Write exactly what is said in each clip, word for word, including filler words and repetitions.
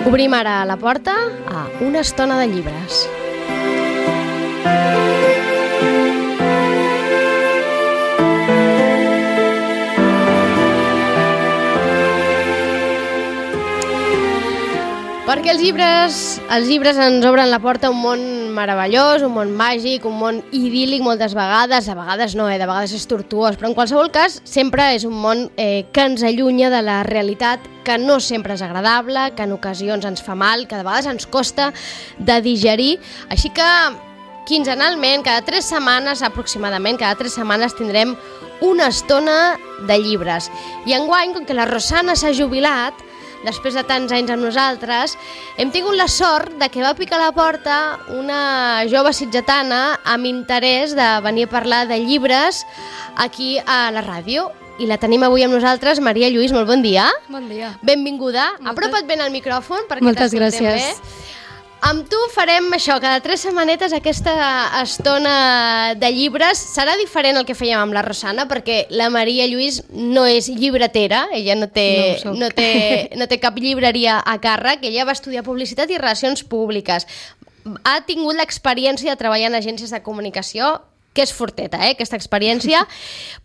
Obrim ara la porta a una estona de llibres. Perquè els llibres, els llibres ens obren la porta a un món meravellós, un món màgic, un món idíl·lic moltes vegades, a vegades no, eh? De vegades és tortuós, però en qualsevol cas sempre és un món eh, que ens allunya de la realitat, que no sempre és agradable, que en ocasions ens fa mal, que de vegades ens costa de digerir, així que quinzenalment, cada tres setmanes aproximadament, cada tres setmanes tindrem una estona de llibres. I enguany, com que la Rosana s'ha jubilat, després de tants anys amb nosaltres, hem tingut la sort de que va picar a la porta una jove sitgetana amb interès de venir a parlar de llibres aquí a la ràdio. I la tenim avui amb nosaltres, Maria Lluís, molt bon dia. Bon dia. Benvinguda. Moltes... Apropa't ben al micròfon perquè Moltes t'escoltem gràcies. bé. Amb tu farem això, cada tres setmanetes aquesta estona de llibres. Serà diferent el que fèiem amb la Rosana, perquè la Maria Lluís no és llibretera, ella no té, no, no té, no té cap llibreria a càrrec, ella va estudiar publicitat i relacions públiques. Ha tingut l'experiència de treballar en agències de comunicació, que és forteta, eh, aquesta experiència,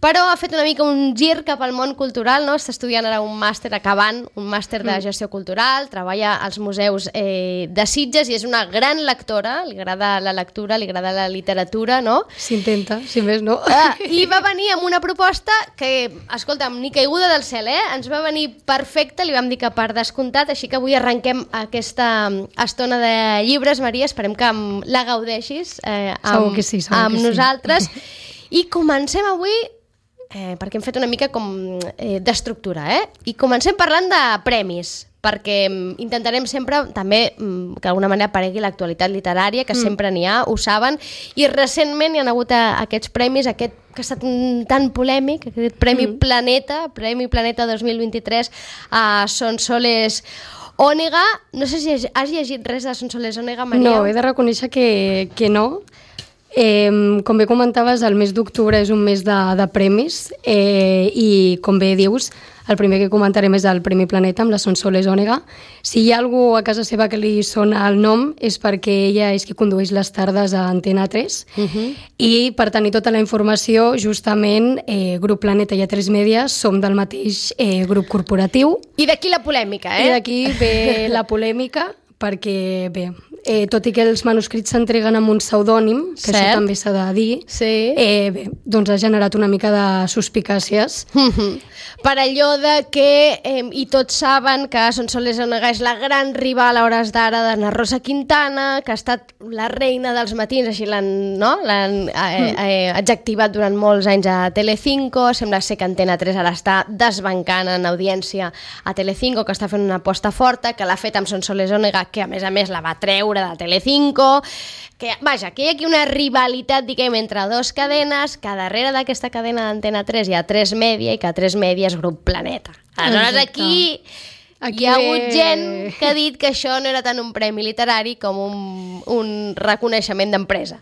però ha fet una mica un gir cap al món cultural, no? Està estudiant ara un màster, acabant, un màster de gestió cultural, treballa als museus eh, de Sitges i és una gran lectora, li agrada la lectura, li agrada la literatura, no? S'intenta, si més no. Ah, I va venir amb una proposta que, escolta'm, ni caiguda del cel, eh? Ens va venir perfecta, li vam dir que per descomptat, així que avui arrenquem aquesta estona de llibres, Maria, esperem que la gaudeixis eh, amb, segur que sí, segur amb que sí. nosaltres. I comencem avui, eh, perquè hem fet una mica com eh, d'estructura, eh? I comencem parlant de premis, perquè intentarem sempre també que d'alguna manera aparegui l'actualitat literària, que mm. sempre n'hi ha, ho saben, i recentment hi ha hagut aquests premis, aquest que ha estat tan polèmic, aquest Premi mm. Planeta, Premi Planeta dos mil vint-i-tres a Sonsoles Ònega. No sé si has llegit res de Sonsoles Ònega, Maria? No, he de reconèixer que, que no. Eh, com bé comentaves, el mes d'octubre és un mes de, de premis eh, i, com bé dius, el primer que comentarem és el Premi Planeta amb la Sonsoles Ònega. Si hi ha algú a casa seva que li sona el nom és perquè ella és qui condueix les tardes a Antena tres uh-huh. i per tenir tota la informació, justament, eh, Grup Planeta i A tres Media som del mateix eh, grup corporatiu. I d'aquí la polèmica, eh? I d'aquí ve la polèmica, perquè, bé, eh, tot i que els manuscrits s'entreguen amb un pseudònim, que Cert. Això també s'ha de dir, sí. eh, bé, doncs ha generat una mica de suspicàcies. Per allò de que, eh, i tots saben que Sonsoles Ònega és la gran rival a hores d'ara d'Anna Rosa Quintana, que ha estat la reina dels matins, així l'han, no? l'han eh, eh, adjectivat durant molts anys a Telecinco, sembla ser que Antena tres ara està desbancant en audiència a Telecinco, que està fent una aposta forta, que l'ha fet amb Sonsoles Ònega, que a més a més la va treure de Telecinco, que, vaja, que hi ha aquí una rivalitat, diguem, entre dues cadenes, que darrere d'aquesta cadena d'Antena tres hi ha A tres Media i que A tres Media és Grup Planeta. Aleshores, aquí, aquí hi ha hagut gent que ha dit que això no era tant un premi literari com un, un reconeixement d'empresa.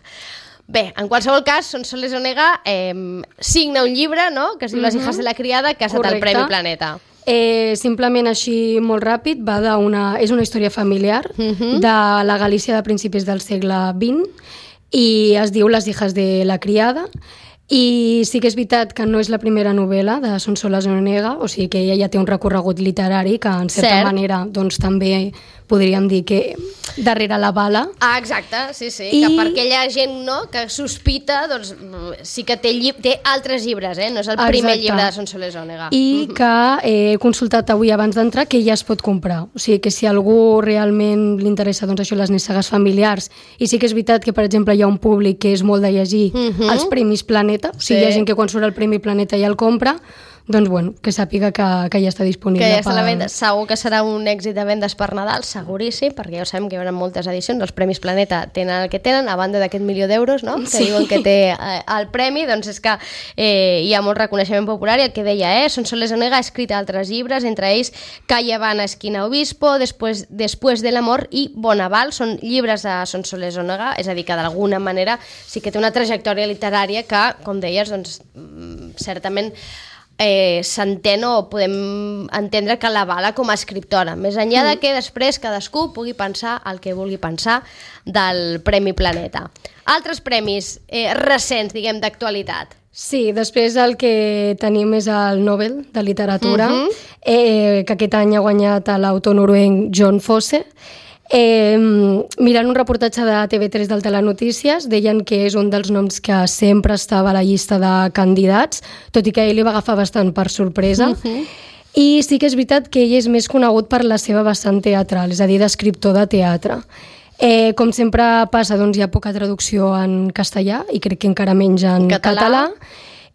Bé, en qualsevol cas, Sonsoles Ònega eh, signa un llibre, no?, que es diu mm-hmm. Les hijas de la criada, que ha estat Correcte. El Premi Planeta. Eh, simplement així molt ràpid, va d'una, és una història familiar uh-huh. de la Galícia de principis del segle vint i es diu Les hijas de la criada i sí que és veritat que no és la primera novel·la de Sonsoles Ònega, o sigui que ella ja té un recorregut literari que en certa Cert. Manera doncs, també podríem dir que darrere la bala. Ah, exacte, sí, sí, I... que per aquella gent no, que sospita, doncs sí que té, lli... té altres llibres, eh? No és el primer exacte. Llibre de Sonsoles Ònega. I mm-hmm. que he consultat avui abans d'entrar que ja es pot comprar, o sigui que si a algú realment li interessa doncs, això, les nissagues familiars, i sí que és veritat que, per exemple, hi ha un públic que és molt de llegir mm-hmm. els Premis Planeta, o sigui, sí. hi ha gent que quan surt el Premi Planeta ja el compra, doncs bueno, que sàpiga que, que ja està disponible. Que ja està per... a la venda. Segur que serà un èxit de vendes per Nadal, seguríssim, perquè ja ho sabem que hi haurà moltes edicions, els Premis Planeta tenen el que tenen, a banda d'aquest milió d'euros, no?, que sí. diuen que té eh, el premi, doncs és que eh, hi ha molt reconeixement popular, i el que deia, eh, Sonsoles Ònega ha escrit altres llibres, entre ells Calle Habana, Esquina Obispo, Después, Después del amor i Bonaval, són llibres de Sonsoles Ònega, és a dir, que d'alguna manera sí que té una trajectòria literària que, com deies, doncs, certament eh, s'entén o podem entendre que l'avala com a escriptora, més enllà mm. de que després cadascú pugui pensar el que vulgui pensar del Premi Planeta. Altres premis eh, recents, diguem, d'actualitat. Sí, després el que tenim és el Nobel de Literatura, uh-huh. eh, que aquest any ha guanyat l'autor noruec John Fosse. Eh, mirant un reportatge de T V tres del Telenotícies, deien que és un dels noms que sempre estava a la llista de candidats, tot i que ell li va agafar bastant per sorpresa. Uh-huh. I sí que és veritat que ell és més conegut per la seva vessant teatral, és a dir, d'escriptor de teatre. Eh, com sempre passa, doncs hi ha poca traducció en castellà i crec que encara menys en català. català.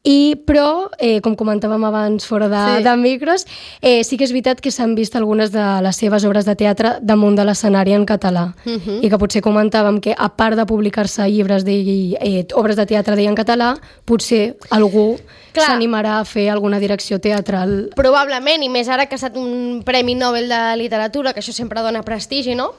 I, però, eh, com comentàvem abans fora de, sí. de micros, eh, sí que és veritat que s'han vist algunes de les seves obres de teatre damunt de l'escenari en català. Uh-huh. I que potser comentàvem que, a part de publicar-se llibres de eh, obres de teatre d'ell en català, potser algú Clar. s'animarà a fer alguna direcció teatral. Probablement, i més ara que ha estat un Premi Nobel de Literatura, que això sempre dona prestigi, no?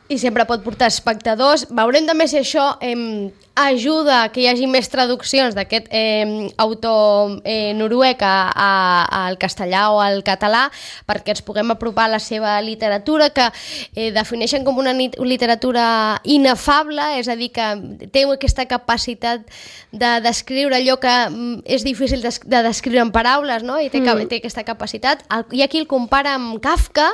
I sempre pot portar espectadors. Veurem també si això eh, ajuda que hi hagi més traduccions d'aquest eh, autor eh, noruec al castellà o al català, perquè ens puguem apropar a la seva literatura, que eh, defineixen com una literatura inefable, és a dir, que té aquesta capacitat de descriure allò que és difícil de, de descriure en paraules, no? I té, mm. té aquesta capacitat. Hi ha qui el compara amb Kafka,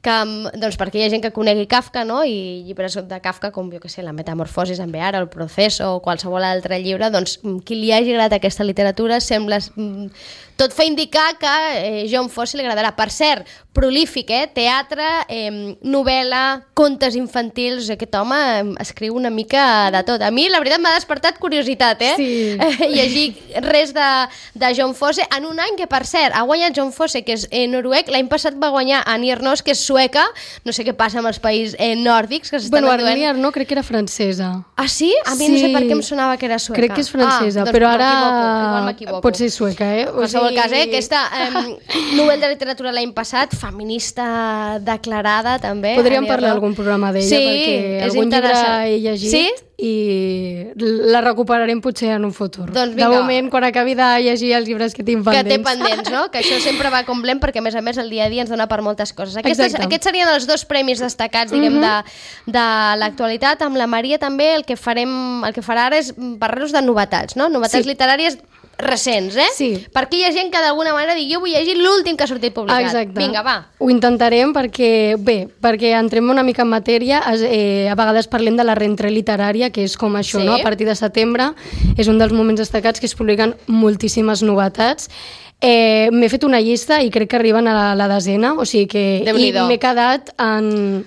que, doncs perquè hi ha gent que conegui Kafka, no? I llibres de Kafka com, jo què sé, La metamorfosis en Beara, El Proceso o qualsevol altre llibre, doncs qui li hagi agradat aquesta literatura sembla... Tot fa indicar que eh, John Fosse li agradarà. Per cert, prolífic, eh? Teatre, eh, novel·la, contes infantils... Aquest home eh, escriu una mica de tot. A mi, la veritat, m'ha despertat curiositat, eh? Sí. Eh, llegir res de, de John Fosse en un any que, per cert, ha guanyat John Fosse, que és eh, noruec. L'any passat va guanyar Annie Ernaux, que és sueca. No sé què passa amb els països eh, nòrdics que s'estan bueno, enduent. Annie Ernaux crec que era francesa. Ah, sí? A mi sí. no sé per què em sonava que era sueca. Crec que és francesa, ah, doncs però ara igual m'equivoco. pot ser sueca, eh? O sigui... cas, eh? Aquesta eh, Nobel de Literatura l'any passat, feminista declarada, també. Podríem parlar d'algun programa d'ella, sí, perquè algun llibre he llegit sí? i la recuperarem potser en un futur. Doncs de moment, quan acabi de llegir els llibres que tinc pendents. Que té pendents, no? Que això sempre va com lent, perquè a més a més el dia a dia ens dona per moltes coses. Aquestes, aquests serien els dos premis destacats, diguem, uh-huh. de, de l'actualitat. Amb la Maria també el que farem, el que farà ara és parlar-nos de novetats, no? Novetats sí. literàries recents, eh? Sí. Perquè hi ha gent que d'alguna manera digui jo vull llegir l'últim que ha sortit publicat. Exacte. Vinga, va. Ho intentarem perquè, bé, perquè entrem una mica en matèria, eh, a vegades parlem de la rentrée literària, que és com això, sí. no? A partir de setembre és un dels moments destacats que es publiquen moltíssimes novetats. Eh, m'he fet una llista i crec que arriben a la, la desena, o sigui que i m'he quedat en...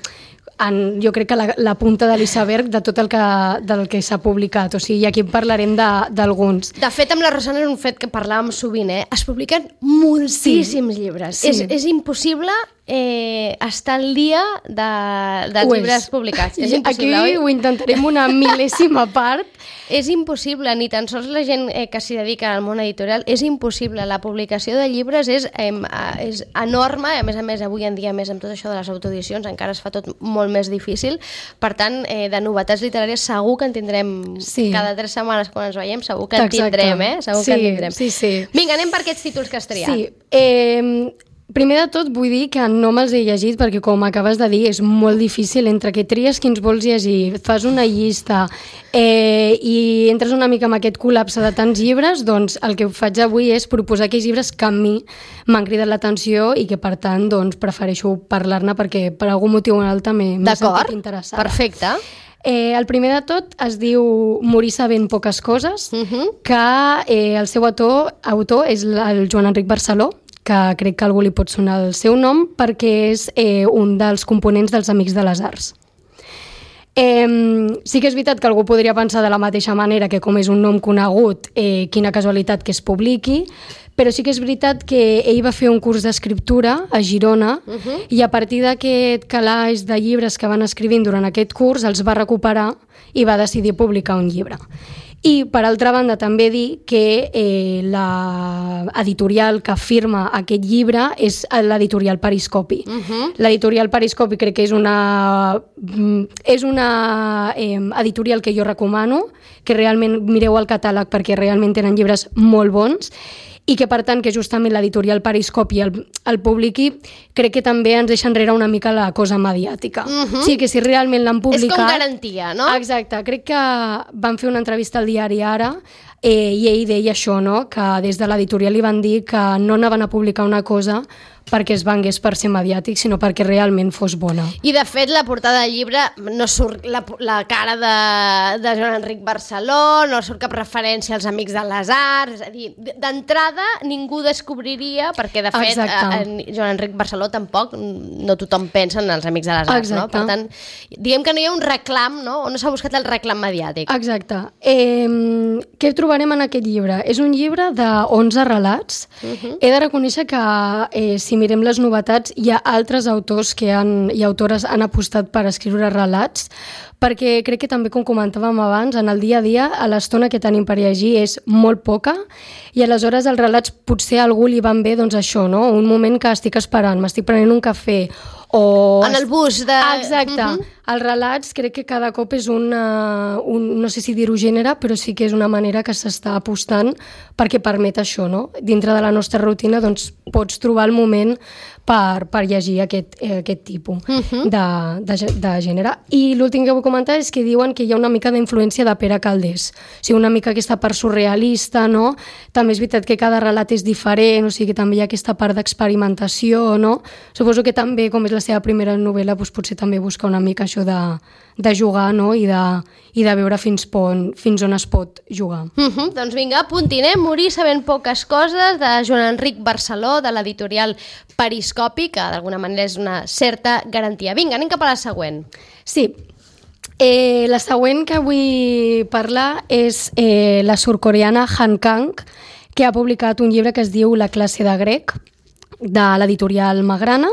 En, jo crec que la, la punta de l'iceberg de tot el que, del que s'ha publicat, o sigui, aquí parlarem d'alguns. De, de fet, amb la Rosana és un fet que parlàvem sovint, eh? Es publiquen moltíssims sí. llibres. Sí. És, és impossible eh, estar al dia de, dels llibres publicats. És impossible, aquí oi? Ho intentarem una mil·lèsima part. És impossible, ni tan sols la gent eh, que s'hi dedica al món editorial, és impossible. La publicació de llibres és, eh, és enorme, a més a més, avui en dia, més amb tot això de les autoedicions, encara es fa tot molt més difícil. Per tant, eh, de novetats literàries segur que en tindrem sí. cada tres setmanes quan ens veiem, segur que en Exacte. tindrem, eh? Segur sí, que en tindrem. Sí, sí. Vinga, anem per aquests títols que has triat. Sí, eh... Primer de tot vull dir que no me'ls he llegit perquè, com acabes de dir, és molt difícil entre que tries quins vols llegir, fas una llista eh, i entres una mica en aquest col·lapse de tants llibres, doncs el que faig avui és proposar aquells llibres que a mi m'han cridat l'atenció i que, per tant, doncs, prefereixo parlar-ne perquè per algun motiu o un altre m'he sentit interessada. Perfecte. Eh, el primer de tot es diu Morir sabent poques coses, uh-huh. que eh, el seu autor, autor és el Joan Enric Barceló, que crec que algú li pot sonar el seu nom, perquè és eh, un dels components dels Amics de les Arts. Eh, sí que és veritat que algú podria pensar de la mateixa manera que, com és un nom conegut, eh, quina casualitat que es publiqui, però sí que és veritat que ell va fer un curs d'escriptura a Girona uh-huh. i a partir d'aquest calaix de llibres que van escrivint durant aquest curs els va recuperar i va decidir publicar un llibre. I, per altra banda, també dir que eh, l'editorial que firma aquest llibre és l'editorial Periscopi. Uh-huh. L'editorial Periscopi crec que és una, és una eh, editorial que jo recomano, que realment mireu el catàleg perquè realment tenen llibres molt bons i que per tant que justament l'editorial Periscopi el, el publiqui, crec que també ens deixa enrere una mica la cosa mediàtica. Uh-huh. O sigui que si realment l'han publicat... És com garantia, no? Exacte, crec que van fer una entrevista al diari Ara eh, i ell deia això, no? Que des de l'editorial li van dir que no anaven a publicar una cosa perquè es vengués per ser mediàtic, sinó perquè realment fos bona. I, de fet, la portada del llibre no surt la, la cara de, de Joan Enric Barceló, no surt cap referència als Amics de les Arts, és a dir, d'entrada ningú descobriria, perquè, de fet, en Joan Enric Barceló tampoc, no tothom pensa en els Amics de les Arts, Exacte. No? Per tant, diguem que no hi ha un reclam, no? On no s'ha buscat el reclam mediàtic. Exacte. Eh, què trobarem en aquest llibre? És un llibre d'onze relats. Uh-huh. He de reconèixer que eh, si mirem les novetats, hi ha altres autors que han, i autores han apostat per escriure relats, perquè crec que també, com comentàvem abans, en el dia a dia, a l'estona que tenim per llegir és molt poca, i aleshores els relats potser a algú li van bé, doncs això, no? Un moment que estic esperant, m'estic prenent un cafè, o... En el bus de... Exacte. Uh-huh. Els relats crec que cada cop és una, un, no sé si dir-ho gènere, però sí que és una manera que s'està apostant perquè permet això, no? Dintre de la nostra rutina, doncs, pots trobar el moment per, per llegir aquest, eh, aquest tipus uh-huh. de, de, de gènere. I l'últim que vull comentar és que diuen que hi ha una mica d'influència de Pere Calders. O sigui, una mica aquesta part surrealista, no? També és veritat que cada relat és diferent, o sigui que també hi ha aquesta part d'experimentació, no? Suposo que també, com és la seva primera novel·la, doncs potser també busca una mica això de, de jugar, no? I de, i de veure fins, pon, fins on es pot jugar. Uh-huh. Doncs vinga, apuntinem, Morir sabent poques coses, de Joan Enric Barceló, de l'editorial Periscopi, que d'alguna manera és una certa garantia. Vinga, anem cap a la següent. Sí, eh, la següent que vull parlar és eh, la surcoreana Han Kang, que ha publicat un llibre que es diu La classe de grec, de l'editorial Magrana,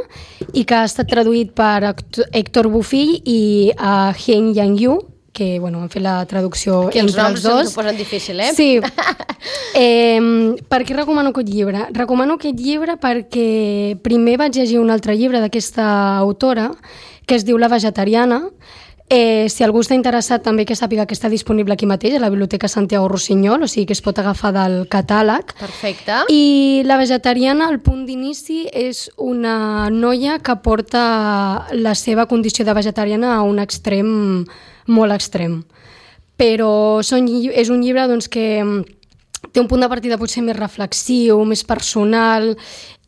i que ha estat traduït per Héctor Bofill i uh, Hein Yang-yu, que bueno, han fet la traducció que entre els dos. Els noms posen difícil, eh? Sí. Eh, per què recomano aquest llibre? Recomano aquest llibre perquè primer vaig llegir un altre llibre d'aquesta autora, que es diu La vegetariana. Eh, si algú està interessat, també que sàpiga que està disponible aquí mateix, a la Biblioteca Santiago Rossinyol, o sigui que es pot agafar del catàleg. Perfecte. I La vegetariana, el punt d'inici, és una noia que porta la seva condició de vegetariana a un extrem molt extrem. Però són, és un llibre doncs, que té un punt de partida potser més reflexiu, més personal,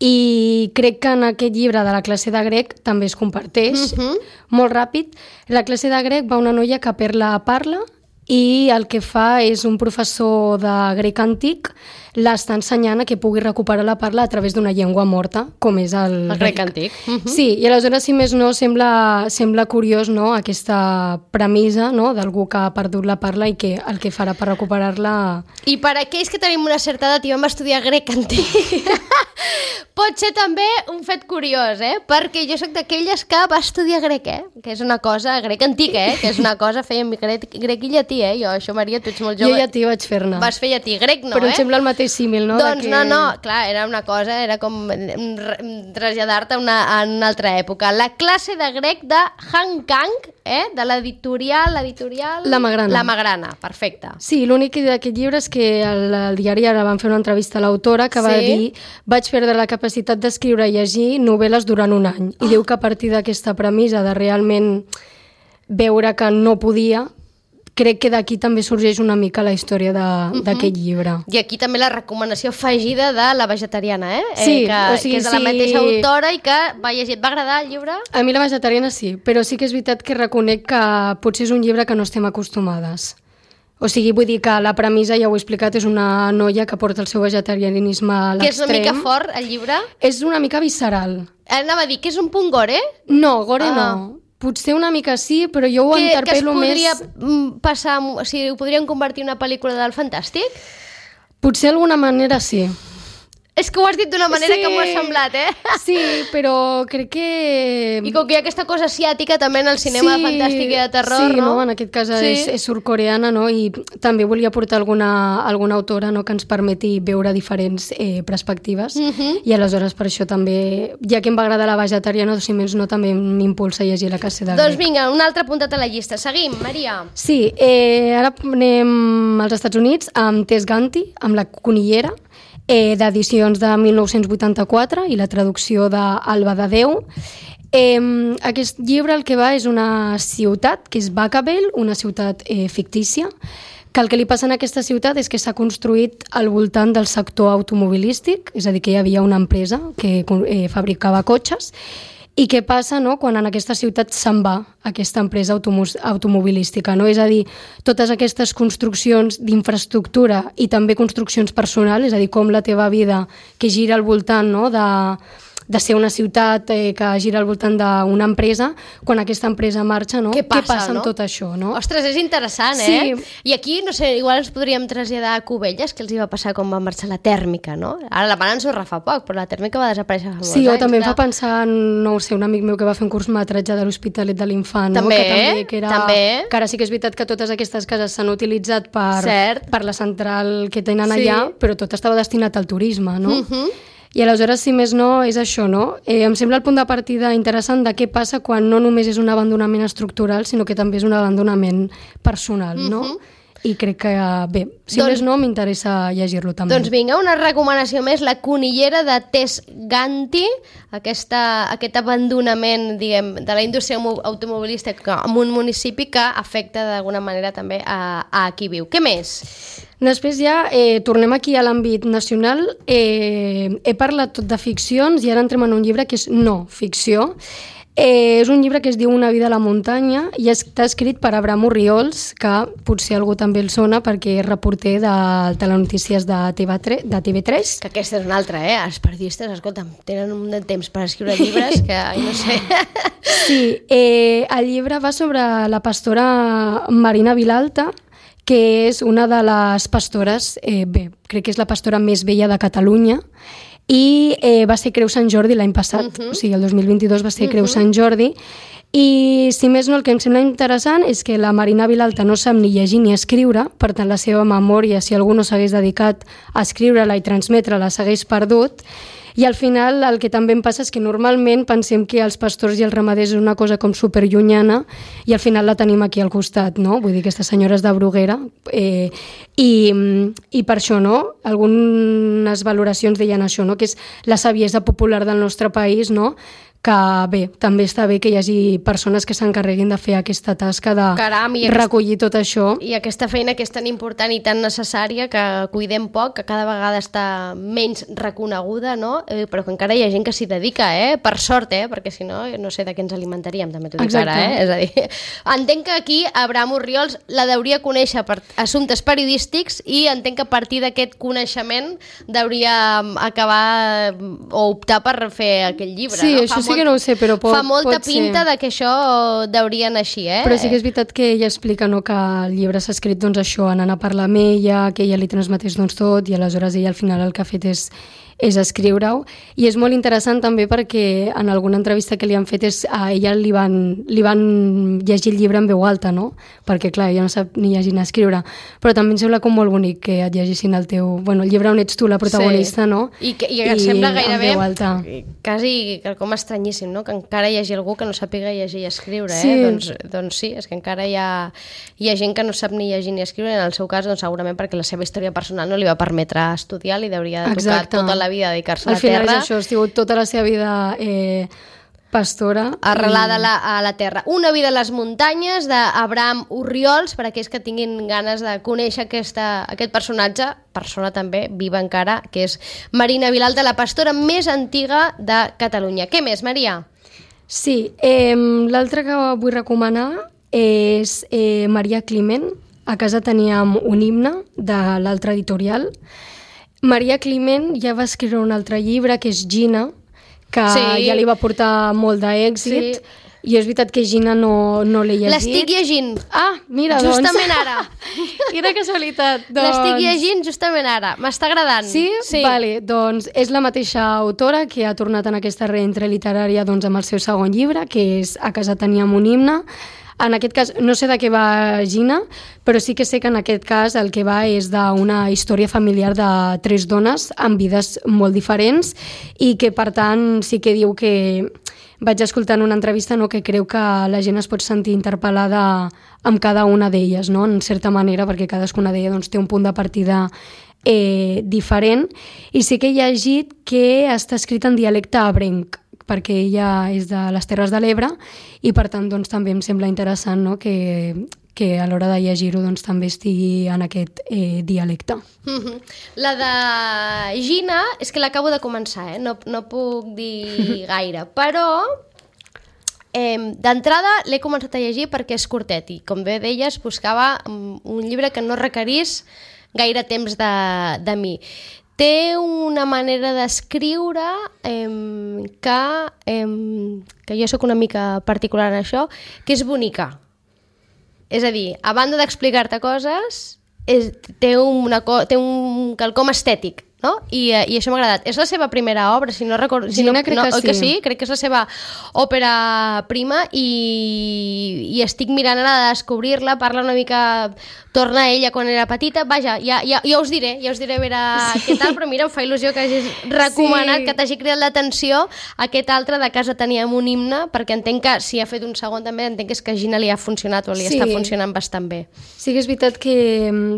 i crec que en aquest llibre de La classe de grec també es comparteix uh-huh. molt ràpid. La classe de grec va una noia que perd la parla i el que fa és un professor de grec antic l'està ensenyant a que pugui recuperar la parla a través d'una llengua morta, com és el, el grec antic. Uh-huh. Sí, i aleshores, si més no, sembla, sembla curiós, no?, aquesta premissa, no?, d'algú que ha perdut la parla i que el que farà per recuperar-la... I per aquells que tenim una certa edat i vam estudiar grec antic, pot ser també un fet curiós, eh? Perquè jo soc d'aquelles que va estudiar grec, eh? Que és una cosa, grec antic, eh? Que és una cosa, fèiem grec, grec i llatí, eh? Jo, això, Maria, tu ets molt jove. Jo llatí vaig fer-ne. Vas fer llatí, grec no, Però eh? em sembla el mateix símil, no? Doncs que... no, no, clar, era una cosa, era com traslladar-te a una, a una altra època. La classe de grec de Han Kang, eh? De l'editorial, l'editorial... La Magrana. La Magrana, perfecte. Sí, l'únic d'aquest llibre és que el, el diari ara van fer una entrevista a l'autora que va sí? dir vaig perdre la capacitat d'escriure i llegir novel·les durant un any. I oh. diu que a partir d'aquesta premissa de realment veure que no podia, crec que d'aquí també sorgeix una mica la història d'aquest uh-huh. llibre. I aquí també la recomanació afegida de La vegetariana, eh? Sí, eh, que, o sigui, que és de la sí. mateixa autora i que va llegir. Et va agradar el llibre? A mi La vegetariana sí, però sí que és veritat que reconec que potser és un llibre que no estem acostumades. O sigui, vull dir que la premissa, ja ho he explicat, és una noia que porta el seu vegetarianisme a l'extrem. Que és una mica fort, el llibre? És una mica visceral. Anava a dir que és un punt gore? No, gore ah. no. Potser una mica sí, però jo ho que, interpel·lo més... Que es podria passar... O sigui, ho podrien convertir en una pel·lícula del Fantàstic? Potser d'alguna manera sí. És que ho has dit d'una manera sí. que m'ho ha semblat, eh? Sí, però crec que... I com que hi ha aquesta cosa asiàtica també en el cinema sí, fantàstic i de terror, sí, no? no? En aquest cas sí. és, és surcoreana, no? I també volia portar alguna, alguna autora, no?, que ens permeti veure diferents eh, perspectives. Uh-huh. I aleshores per això també, ja que em va agradar La vegetariana, si més no, també m'impulsa a llegir La classe de grec. Doncs vinga, un altre apuntat a la llista. Seguim, Maria. Sí, eh, ara anem als Estats Units amb Tess Ganti, amb La conillera. eh, d'edicions de mil nou-cents vuitanta-quatre i la traducció d'Alba de Déu. Eh, aquest llibre el que va és una ciutat, que és Vacaville, una ciutat eh, fictícia, que el que li passa en aquesta ciutat és que s'ha construït al voltant del sector automobilístic, és a dir, que hi havia una empresa que eh, fabricava cotxes. I què passa, no?, quan en aquesta ciutat se'n va aquesta empresa automobilística, no? És a dir, totes aquestes construccions d'infraestructura i també construccions personals, és a dir, com la teva vida que gira al voltant, no?, de, de ser una ciutat eh, que gira al voltant d'una empresa, quan aquesta empresa marxa, no? Què passa, què passa no? amb tot això, no? Ostres, és interessant, eh? Sí. I aquí, no sé, igual ens podríem traslladar a Cubelles, que els hi va passar quan va marxar la tèrmica, no? Ara la van ensorrar fa poc, però la tèrmica va desaparèixer fa molts Sí, anys. o també em fa pensar en, no ho sé, un amic meu que va fer un curtmetratge de l'Hospitalet de l'Infant, no? També, que també, que era, també. Que ara sí que és veritat que totes aquestes cases s'han utilitzat per, Cert. per la central que tenen Sí. allà, però tot estava destinat al turisme, no? Uh -huh. I aleshores, si més no, és això, no? Eh, em sembla el punt de partida interessant de què passa quan no només és un abandonament estructural, sinó que també és un abandonament personal, no? Uh-huh. I crec que, bé, si Doncs- més no, m'interessa llegir-lo també. Doncs vinga, una recomanació més, La conillera de Tess Ganti, aquesta, aquest abandonament, diguem, de la indústria mo- automobilística en un municipi que afecta d'alguna manera també a, a qui viu. Què més? Després ja eh, tornem aquí a l'àmbit nacional. Eh, he parlat tot de ficcions i ara entrem en un llibre que és no ficció. Eh, és un llibre que es diu Una vida a la muntanya i està escrit per Abraham Orriols, que potser algú també el sona perquè és reporter de telenotícies de T V tres. Que aquesta és una altra, eh? Els periodistes, escolta'm, tenen un de temps per escriure llibres que, ai, no sé... Sí, eh, el llibre va sobre la pastora Marina Vilalta, que és una de les pastores, eh, bé, crec que és la pastora més vella de Catalunya, i eh, va ser Creu Sant Jordi l'any passat, uh-huh. o sigui, el dos mil vint-i-dos va ser uh-huh. Creu Sant Jordi, i si més no, el que em sembla interessant és que la Marina Vilalta no sap ni llegir ni escriure, per tant la seva memòria, si algú no s'hagués dedicat a escriure-la i transmetre-la, s'hagués perdut. I al final el que també em passa és que normalment pensem que els pastors i els ramaders és una cosa com superllunyana i al final la tenim aquí al costat, no? Vull dir, aquestes senyores de Bruguera. Eh, i, I per això, no? Algunes valoracions deien això, no? Que és la saviesa popular del nostre país, no? Que bé, també està bé que hi hagi persones que s'encarreguin de fer aquesta tasca de Caram, i recollir tot això. I aquesta feina que és tan important i tan necessària que cuidem poc, que cada vegada està menys reconeguda, no? Eh, però que encara hi ha gent que s'hi dedica, eh? Per sort, eh? Perquè si no, no sé de què ens alimentaríem, també t'ho dic ara, eh? És a dir, entenc que aquí Abraham Orriols la deuria conèixer per assumptes periodístics i entenc que a partir d'aquest coneixement deuria acabar o optar per fer aquell llibre, sí, no? Això sí que no ho sé, però pot, fa molta pot pinta ser. de que això deuria anar així, eh? Però sí que és veritat que ella explica, no, que el llibre s'ha escrit doncs, això, anant a parlar amb ella, que ella li transmetés doncs, tot, i aleshores ella al final el que ha fet és és escriure-ho, i és molt interessant també perquè en alguna entrevista que li han fet és, a ella li van, li van llegir el llibre en veu alta, no? Perquè clar, ella no sap ni llegir ni escriure, però també em sembla com molt bonic que et llegissin el teu... Bueno, el llibre on ets tu la protagonista, sí. no? I, que, i em sembla gairebé alta. quasi com estranyíssim, no? Que encara hi hagi algú que no sàpiga llegir i escriure, eh? Sí. Doncs, doncs sí, és que encara hi ha, hi ha gent que no sap ni llegir ni escriure, en el seu cas doncs, segurament perquè la seva història personal no li va permetre estudiar, li hauria de tocar Exacte. tota la vida dedicar-se a Al la final terra. és això, ha sigut tota la seva vida eh, pastora. Arrelada i... a la, a la terra. Una vida a les muntanyes d'Abraham Orriols, per aquells que tinguin ganes de conèixer aquesta, aquest personatge, persona també viva encara, que és Marina Vilalta, la pastora més antiga de Catalunya. Què més, Maria? Sí, eh, l'altre que vull recomanar és eh, Maria Climent. A casa teníem un himne de l'altre editorial. Maria Climent ja va escriure un altre llibre, que és Gina, que sí. ja li va portar molt d'èxit. Sí. I és veritat que Gina no, no l'he llegit. L'estic llegint. Ah, mira, justament doncs. ara. Quina casualitat. Doncs... L'estic llegint justament ara. M'està agradant. Sí? Sí. Vale, doncs és la mateixa autora que ha tornat en aquesta reentre literària doncs, amb el seu segon llibre, que és A casa teníem un himne. En aquest cas, no sé de què va Gina, però sí que sé que en aquest cas el que va és d'una història familiar de tres dones amb vides molt diferents i que, per tant, sí que diu que vaig escoltar en una entrevista, no, que creu que la gent es pot sentir interpel·lada amb cada una d'elles, no? En certa manera, perquè cadascuna d'elles doncs, té un punt de partida eh, diferent, i sí que he llegit que està escrit en dialecte ebrenc, perquè ella és de les Terres de l'Ebre i per tant doncs, també em sembla interessant, no? que, que a l'hora de llegir-ho doncs, també estigui en aquest eh, dialecte. Mm-hmm. La de Gina és que l'acabo de començar, eh? no, no puc dir gaire, però eh, d'entrada l'he començat a llegir perquè és curtet i com bé deies buscava un llibre que no requerís gaire temps de, de mi. Té una manera d'escriure eh, que, eh, que jo sóc una mica particular en això, que és bonica. És a dir, a banda d'explicar-te coses, és, té, una, té un quelcom estètic, no? I, i això m'ha agradat. És la seva primera obra, si no recordo... Si Gina, no, crec no, que sí. que sí. Crec que és la seva òpera prima i, i estic mirant ara de descobrir-la, parla una mica... Torna a ella quan era petita. Vaja, ja, ja, ja us diré, ja us diré a veure sí. què tal, però mira, em fa il·lusió que hagis recomanat, sí. que t'hagi cridat l'atenció aquest altre de Casa teníem un himne, perquè entenc que si ha fet un segon també, entenc que és que a Gina li ha funcionat o li sí. està funcionant bastant bé. Sí que és veritat que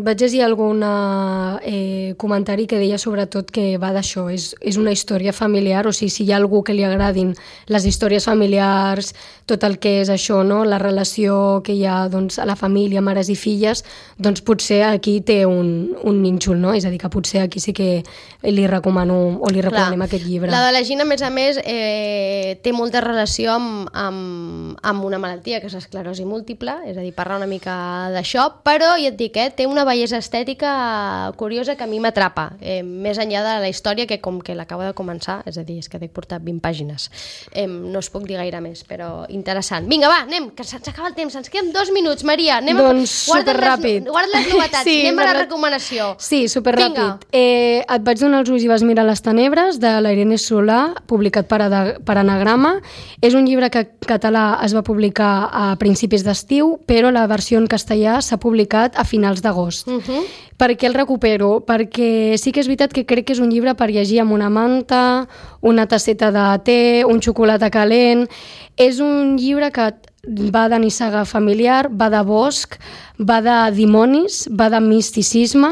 vaig llegir algun eh, comentari que deia sobretot que va d'això, és, és una història familiar, o sigui, si hi ha algú que li agradin les històries familiars, tot el que és això, no? La relació que hi ha doncs, a la família, mares i filles, doncs potser aquí té un, un nínxol, no? És a dir, que potser aquí sí que li recomano o li recomanem Clar. Aquest llibre. La de la Gina, a més a més, eh, té molta relació amb, amb, amb una malaltia, que és l'esclerosi múltiple, és a dir, parla una mica d'això, però, ja et dic, eh, té una bellesa estètica curiosa que a mi m'atrapa, eh, més enllà de la història, que com que l'acabo de començar, és a dir, és que t'he portat vint pàgines. Eh, no us puc dir gaire més, però interessant. Vinga, va, anem, que se'ns acaba el temps, ens queden dos minuts, Maria. Anem doncs a... superràpid. Guarda les novetats, sí, anem a la recomanació. Sí, superràpid. Eh, et vaig donar els ulls i vas mirar les tenebres, de la Irene Solà, publicat per, per Anagrama. És un llibre que en català es va publicar a principis d'estiu, però la versió en castellà s'ha publicat a finals d'agost. Uh-huh. Per què el recupero? Perquè sí que és veritat que crec que és un llibre per llegir amb una manta, una tasseta de te, un xocolata calent. És un llibre que va de nissaga familiar, va de bosc, va de dimonis, va de misticisme,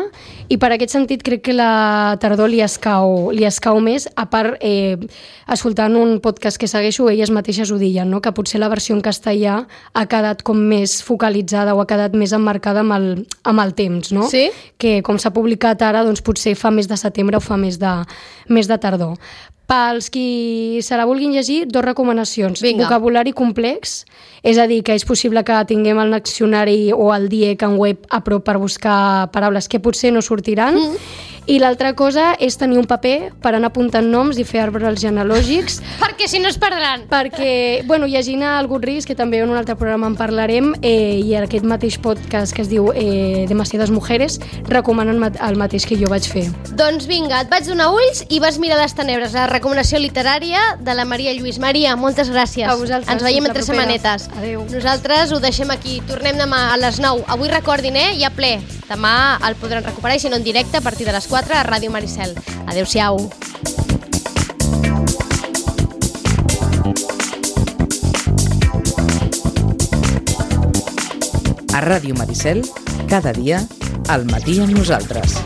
i per aquest sentit crec que la tardor li escau, li escau més, a part, eh, escoltant un podcast que segueixo, elles mateixes ho deien, no? Que potser la versió en castellà ha quedat com més focalitzada o ha quedat més emmarcada amb el, amb el temps, no? Sí? Que com s'ha publicat ara, doncs potser fa més de setembre o fa més de, més de tardor. Pels qui se la vulguin llegir, dos recomanacions. Vinga. Vocabulari complex, és a dir, que és possible que tinguem el diccionari o el D I E C en web a prop per buscar paraules que potser no sortiran. Mm. I l'altra cosa és tenir un paper per anar apuntant noms i fer arbres genealògics. Perquè si no es perdran. Perquè, bueno, llegint a Algun Risc, que també en un altre programa en parlarem, eh, i en aquest mateix podcast que es diu eh, Demasiadas Mujeres, recomanen el mateix que jo vaig fer. Doncs vinga, et vaig donar ulls i vas mirar les tenebres, la recomanació literària de la Maria Lluís. Maria, moltes gràcies. A vosaltres. Ens veiem entre setmanetes. Adéu. Nosaltres ho deixem aquí. Tornem demà a les nou. Avui recordin, eh? Hi ha ple. Demà el podran recuperar, i si no en directe, a partir de les quatre a Ràdio Maricel. Adéu-siau. A Ràdio Maricel, cada dia, al matí amb nosaltres.